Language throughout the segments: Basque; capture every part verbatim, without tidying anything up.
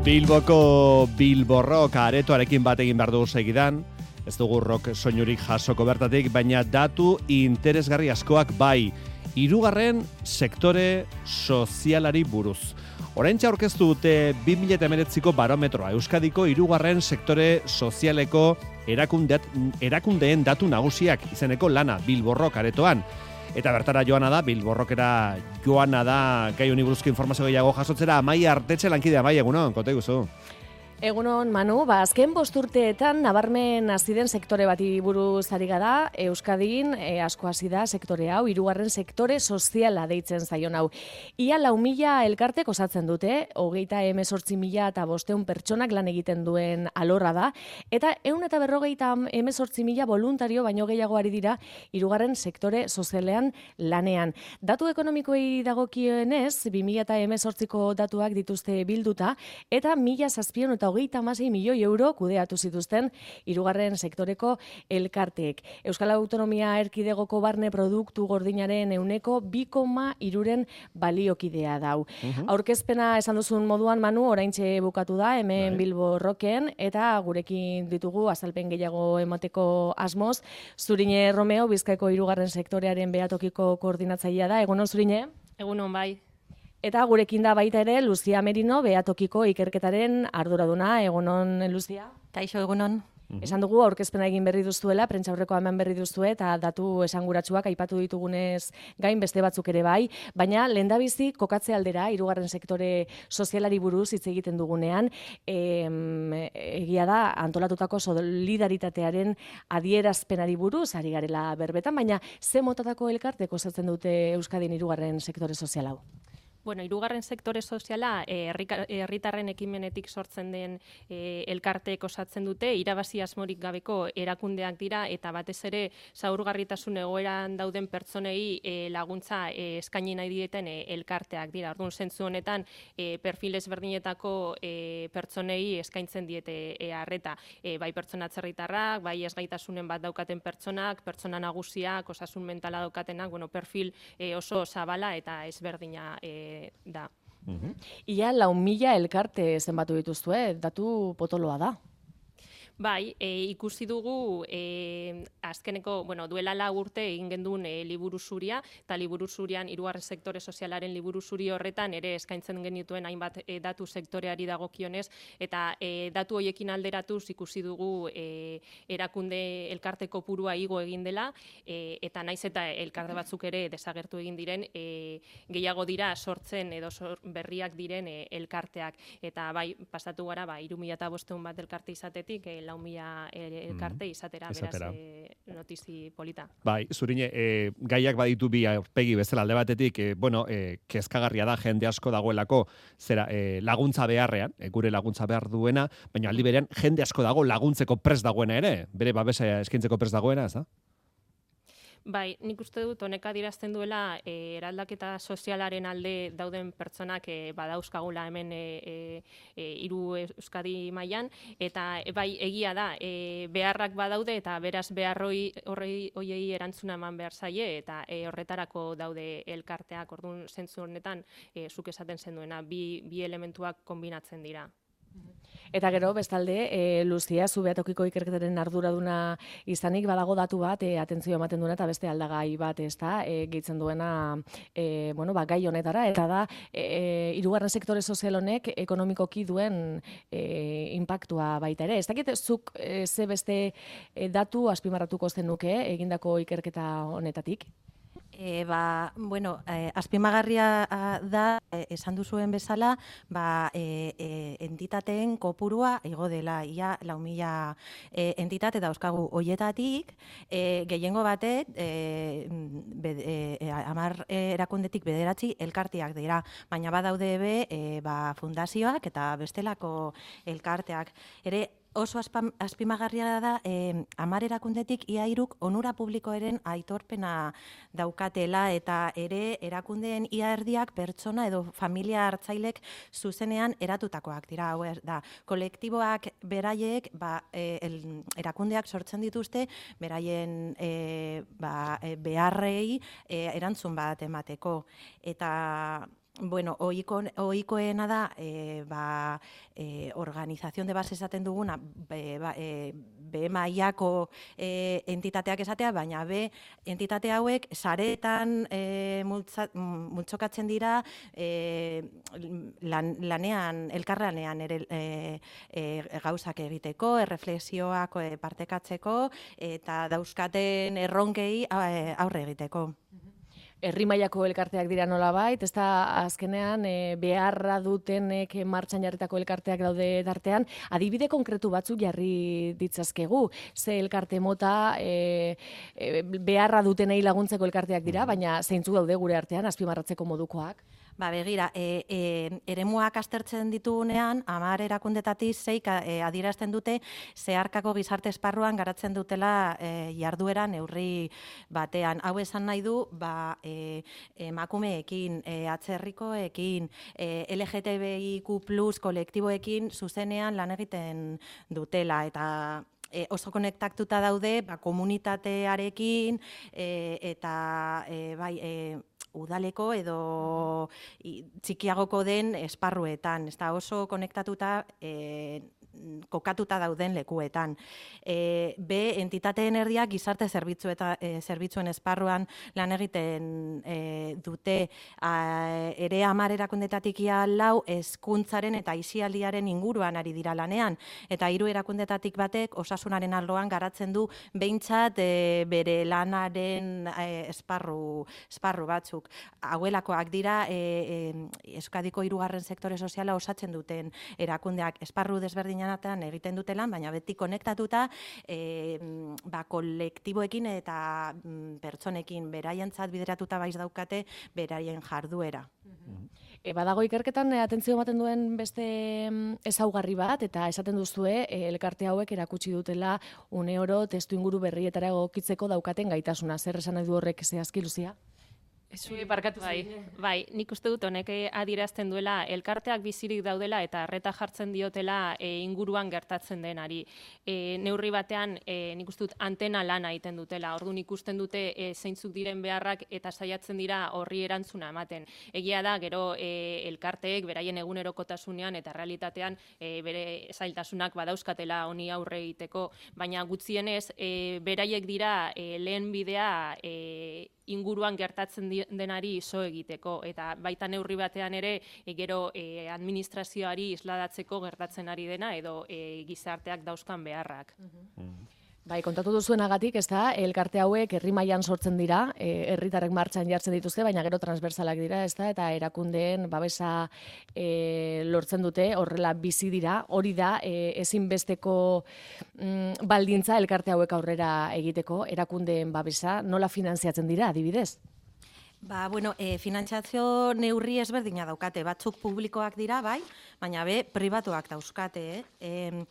Bilboko Bilborrok aretoarekin bat egin behar dugu segidan, ez dugu rock soinurik jasoko bertatik, baina datu interesgarri askoak bai, hirugarren sektore sozialari buruz. Oraintxe aurkeztu dute bi mila hemeretziko barometroa, Euskadiko hirugarren sektore sozialeko erakundeat, erakundeen datu nagusiak izeneko lana Bilborrok aretoan. Eta bertara joana da, Bilborrokera joana da, gai honi buruzko informazio gehiago jasotzera, Amaia Artetxe lankidea, bai, egunon, konta iguzu. Egunon, Manu, ba, azken bosturteetan nabarmen hasi den sektore bati buruz ari gara, Euskadin e, asko hasi da sektore hau, hirugarren sektore soziala deitzen zaion hau. Ia lau mila elkartek osatzen dute, hogeita hemezortzi mila eta bosteun pertsonak lan egiten duen alorra da, eta ehun eta berrogeita hemezortzi mila voluntario baino gehiago ari dira hirugarren sektore sozialean lanean. Datu ekonomikoei dagokionez, bi mila hemezortziko datuak dituzte bilduta, eta mila zazpiehun eta hogeita hamasei milioi euro kudeatu zituzten hirugarren sektoreko elkarteek. Euskal Autonomia Erkidegoko barne produktu gordinaren ehuneko bi koma hiruren baliokidea dau. Uh-huh. Aurkezpena esan duzun moduan, Manu, oraintxe bukatu da, hemen Bai. Bilborroken, eta gurekin ditugu azalpen gehiago emateko asmoz. Zurine Romeo, Bizkaiko hirugarren sektorearen behatokiko koordinatzailea da. Egunon, Zurine? Egunon, bai. Eta gurekin da baita ere Luzia Merino, behatokiko ikerketaren arduraduna. Egunon, Luzia? Kaixo, egunon. Esan dugu aurkezpena egin berri duztuela, prentsaurrekoa eman berri duztue eta datu esanguratsuak aipatu ditugunez gain beste batzuk ere bai, baina lehendabizi kokatze aldera hirugarren sektore sozialari buruz hitz egiten dugunean, em, egia da antolatutako solidaritatearen adierazpenari buruz ari garela berbetan, baina ze motatako elkartek osatzen dute Euskadin hirugarren sektore sozial hau? Bueno, hirugarren sektore soziala herritarren e, ekimenetik sortzen den e, elkarteek osatzen dute, irabazi asmorik gabeko erakundeak dira eta batez ere zaurgarritasun egoeran dauden pertsonei e, laguntza e, eskaini nahi dieten e, elkarteak dira. Orduan, zentzu honetan e, perfil ezberdinetako e, pertsonei eskaintzen diete e, arreta. E, bai pertsona atzerritarrak, bai ezgaitasunen bat daukaten pertsonak, pertsona nagusiak, osasun mentala daukatenak, bueno, perfil e, oso zabala eta ezberdina e, da. Uh-huh. Ia lau mila elkarte zenbatu dituzue, datu potoloa da. Bai, e, ikusi dugu e, azkeneko, bueno, duela lau urte egin gendun e, liburu zuria, eta liburu zurian hirugarren sektore sozialaren liburu zuri horretan ere eskaintzen genituen hainbat e, datu sektoreari dagokionez, eta e, datu hoiekin alderatuz ikusi dugu e, erakunde elkarte kopurua igo egin dela, e, eta naiz eta elkarte batzuk ere desagertu egin diren, e, gehiago dira sortzen edo sor, berriak diren e, elkarteak, eta bai, pasatu gara, ba, hiru mila eta bosteun bat elkarte izatetik, e, lau mila elkarte izatera, izatera. beraz, e, notizi polita. Bai, Zurine, e, gaiak baditu bi aurpegi bezala alde batetik, e, bueno, e, kezkagarria da jende asko dagoelako zera e, laguntza beharrean, e, gure laguntza behar duena, baina aldi berean jende asko dago laguntzeko prest dagoena ere, bere babesa eskaintzeko prest dagoena, ez da? Bai, nik uste dut honek adierazten duela e, eraldaketa sozialaren alde dauden pertsonak e, badauzkagula hemen e, e, hiru Euskadi mailan, eta e, bai egia da e, beharrak badaude eta beraz beharroi horrei hoiei erantzuna eman behar zaie eta e, horretarako daude elkarteak. Orduan zentzu honetan e, zuk esaten zenduena bi, bi elementuak konbinatzen dira. Eta gero, bestalde, e, Luzia, zu behatokiko ikerketaren arduraduna izanik, badago datu bat, e, atentzio ematen duena eta beste aldagai bat, ez da, e, gehitzen duena e, bueno, ba, gai honetara, eta da, e, hirugarren sektore sozial honek ekonomikoki duen e, inpaktua baita ere. Ez dakit, zuk e, ze beste e, datu azpimarratuko zenuke egindako ikerketa honetatik? E, ba, bueno, e, azpimagarria da, e, esan duzuen bezala, ba, e, e, entitateen kopurua igo dela, ia lau mila e, entitate dauzkagu hoietatik, e, gehiengo batek, e, be, e, amar erakundetik bederatzi elkarteak dira, baina badaude be, e, ba, fundazioak eta bestelako elkarteak. Ere, oso azpimagarria da eh, hamar erakundetik ia hiruk onura publikoaren aitorpena daukatela eta ere erakundeen ia erdiak pertsona edo familia hartzailek zuzenean eratutakoak dira. Hau da, kolektiboak beraiek ba, eh, el, erakundeak sortzen dituzte beraien eh, ba, beharrei eh, erantzun bat emateko. Eta bueno, oiko, oikoena da, e, ba, e, organización de base esaten duguna, be, ba, e, be mailako e, entitateak esatea, baina be entitate hauek saretan e, multzokatzen dira e, lan, lanean, elkarlanean ere e, e, gauzak egiteko, erreflexioak e, partekatzeko eta dauzkaten erronkei aurre egiteko. Herri mailako elkarteak dira nolabait, ez da azkenean e, beharra dutenek martxan jarritako elkarteak daude tartean, adibide konkretu batzuk jarri ditzazkegu, ze elkarte mota e, e, beharra dutenei laguntzeko elkarteak dira, baina zeintzuk daude gure artean azpimarratzeko modukoak? Ba, begira, e, e, eremuak aztertzen ditugunean, hamar erakundetatik zeik e, adierazten dute zeharkako gizarte esparruan garatzen dutela e, jarduera neurri batean. Hau esan nahi du, ba, e, emakumeekin, e, atzerrikoekin, e, L G T B I Q plus kolektiboekin zuzenean lan egiten dutela, eta E, oso konektatuta daude ba, komunitatearekin e, eta e, bai, e, udaleko edo i, txikiagoko den esparruetan, ez da oso konektatuta e, kokatuta dauden lekuetan. E, B, entitateen erdiak gizarte zerbitzu eta e, zerbitzuen esparruan lan egiten e, dute a, ere hamar erakundetatik ia lau hezkuntzaren eta aisialdiaren inguruan ari dira lanean, eta hiru erakundetatik batek osasunaren arloan garatzen du behintzat e, bere lanaren e, esparru, esparru batzuk. Hauelakoak dira e, e, Euskadiko hirugarren sektore soziala osatzen duten erakundeak esparru desberdin egiten dutelan, baina beti konektatuta e, ba, kolektiboekin eta mm, pertsonekin beraientzat bideratuta baiz daukate beraien jarduera. E, badago ikerketan e, atentzio ematen duen beste ezaugarri bat, eta esaten duzue e, elkarte hauek erakutsi dutela une oro testu inguru berrietara egokitzeko daukaten gaitasuna. Zer esan nahi du horrek zehazki, Luzia? Zuri barkatu bai, bai, nik uste dut honek adierazten duela elkarteak bizirik daudela eta arreta jartzen diotela e, inguruan gertatzen denari. E, neurri batean e, nik uste dut antena lana egiten dutela. Orduan ikusten dute e, zeintzuk diren beharrak eta saiatzen dira horri erantzuna ematen. Egia da, gero e, elkarteek beraien egunerokotasunean eta realitatean e, bere zailtasunak badauzkatela honi aurre egiteko, baina gutxienez e, beraiek dira e, lehen bidea e, inguruan gertatzen denari iso egiteko, eta baita neurri batean ere e, gero e, administrazioari isladatzeko gertatzen ari dena edo e, gizarteak dauzkan beharrak. Mm-hmm. Bai, kontatu duzuenagatik, ez da, elkarte hauek herri mailan sortzen dira, herritarrek martxan jartzen dituzte, baina gero transversalak dira, ez da, eta erakundeen babesa e, lortzen dute, horrela bizi dira, hori da, e, ezinbesteko mm, baldintza elkarte hauek aurrera egiteko, erakundeen babesa, nola finanziatzen dira, adibidez? Ba, bueno, e, finantziazio neurri ezberdina daukate, batzuk publikoak dira, bai, baina be, pribatuak dauzkate, eh? E,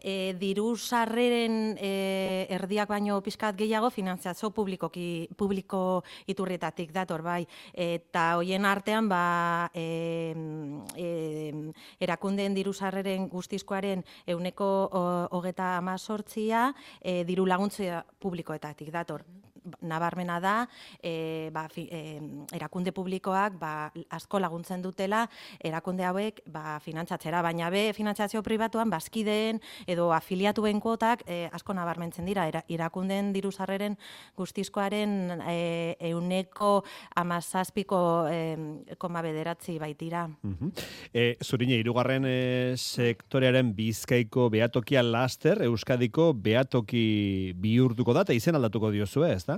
E, diru sarreren e, erdiak baino pizkat gehiago finantziazio publikoki, publiko iturrietatik dator, bai. Eta hoien artean, ba, e, e, erakundeen diru sarreren guztizkoaren euneko hogeta amazortzia e, diru laguntzea publikoetatik dator. Nabarmena da, e, ba, fi, e, erakunde publikoak ba, asko laguntzen dutela erakunde hauek ba, finantzatzera, baina be finantziazio pribatuan bazkideen edo afiliatuen kuotak e, asko nabarmentzen dira, era, erakundeen diru sarreren guztizkoaren e, euneko amazazpiko e, koma bederatzi baitira. Uh-huh. E, Zurine, hirugarren e, sektorearen Bizkaiko behatokia laster, Euskadiko behatoki bihurtuko da, eta izen aldatuko diozue, ez da?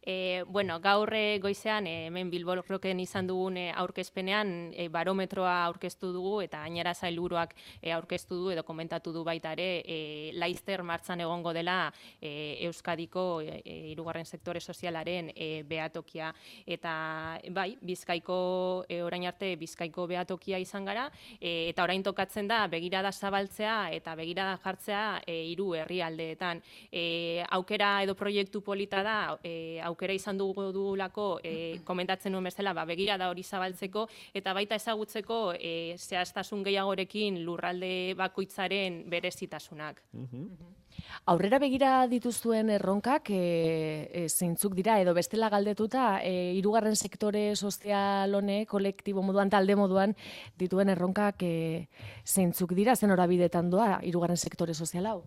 E, bueno, gaur goizean e, hemen Bilbo Rocken izan dugun e, aurkezpenean e, barometroa aurkeztu dugu eta gainera sailburuak e, aurkeztu du edo komentatu du baita ere e, laizter martxan egongo dela e, Euskadiko e, hirugarren sektore sozialaren e, behatokia, eta bai, Bizkaiko e, orain arte Bizkaiko behatokia izan gara e, eta orain tokatzen da begirada zabaltzea eta begirada jartzea e, hiru herrialdeetan. E, aukera edo proiektu polita da e, aukera izan dugu dugulako e, komentatzen nuen bezala, ba, begira da hori zabaltzeko, eta baita ezagutzeko e, zehaztasun gehiagorekin lurralde bakoitzaren berezitasunak. Aurrera begira dituzuen erronkak e, e, zeintzuk dira, edo bestela galdetuta, e, hirugarren sektore sozial honek, kolektibo moduan, talde moduan, dituen erronkak e, zeintzuk dira, zen horabidetan doa hirugarren sektore sozial hau?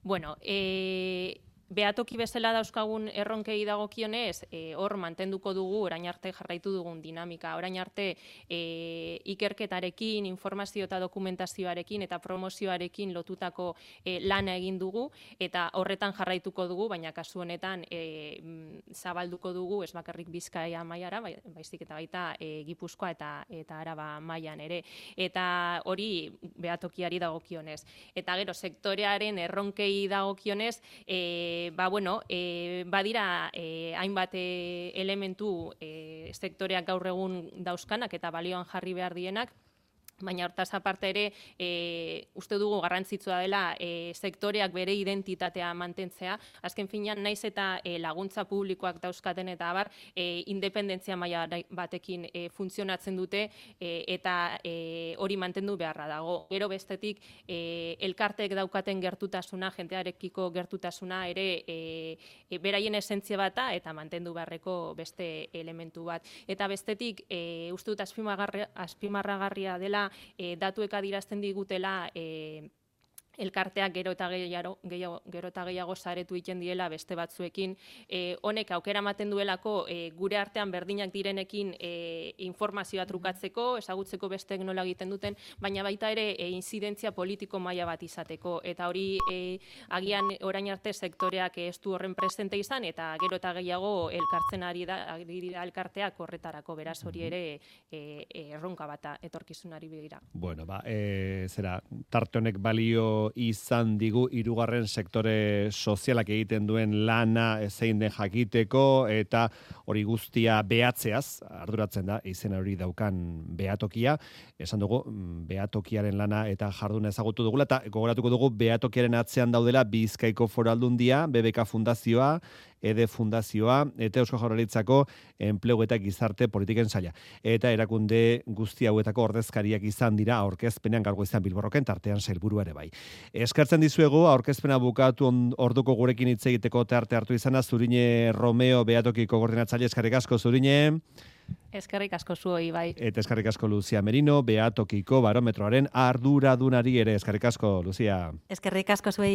Bueno, e, behatoki bezala dauzkagun erronkei dagokionez, e, hor mantenduko dugu, orain arte jarraitu dugun dinamika, orain arte e, ikerketarekin, informazio eta dokumentazioarekin eta promozioarekin lotutako e, lana egin dugu, eta horretan jarraituko dugu, baina kasu honetan e, zabalduko dugu, ez bakarrik Bizkaia mailara, baizik eta baita e, Gipuzkoa eta, eta Araba mailan ere, eta hori behatokiari dagokionez. Eta gero, sektorearen erronkei dagokionez, e, ba, bueno, e, badira e, hainbat e, elementu e, sektoreak gaur egun dauzkanak eta balioan jarri behar dienak, baina hortaz aparte ere, e, uste dugu garrantzitsua dela e, sektoreak bere identitatea mantentzea. Azken finean, naiz eta e, laguntza publikoak dauzkaten eta abar, e, independentzia maila batekin e, funtzionatzen dute e, eta e, hori mantendu beharra dago. Gero bestetik, e, elkarteek daukaten gertutasuna, jentearekiko gertutasuna ere e, e, beraien esentzia bata eta mantendu beharreko beste elementu bat. Eta bestetik, e, uste dut azpimarragarria dela, E, datuek adirazten digutela e, elkarteak gero eta gehiago, gehiago, gero eta gehiago saretu egiten diela beste batzuekin. E, honek aukera ematen duelako e, gure artean berdinak direnekin e, informazioa trukatzeko, ezagutzeko besteek nola egiten duten, baina baita ere e, inzidentzia politiko maila bat izateko. Eta hori e, agian orain arte sektoreak ez du horren presente izan, eta gero eta gehiago elkartzen ari da, ari dira elkarteak horretarako, beraz hori ere e, e, erronka bata etorkizunari begira. Bueno, ba, e, zera, tarte honek balio izan digu hirugarren sektore sozialak egiten duen lana zein den jakiteko, eta hori guztia behatzeaz arduratzen da izena hori daukan behatokia. Esan dugu behatokiaren lana eta jarduna ezagutu dugula, eta gogoratuko dugu behatokiaren atzean daudela Bizkaiko Foru Aldundia, B B K Fundazioa, E D E Fundazioa, eta Eusko Jaurlaritzako Enplegu eta Gizarte Politiken Saila. Eta erakunde guzti hauetako ordezkariak izan dira aurkezpenean gaur goizean Bilborroken, tartean sailburua ere bai. Eskertzen dizuegu aurkezpena bukatu orduko gurekin hitz egiteko tarte hartu izana, Zurine Romeo behatokiko koordinatzaile. Eskerrik asko, Zurine. Eskerrik asko zuoi, bai. Eta eskerrik asko Lucia Merino, behatokiko barometroaren arduradunari ere. Eskerrik asko, Lucia. Eskerrik asko zuei.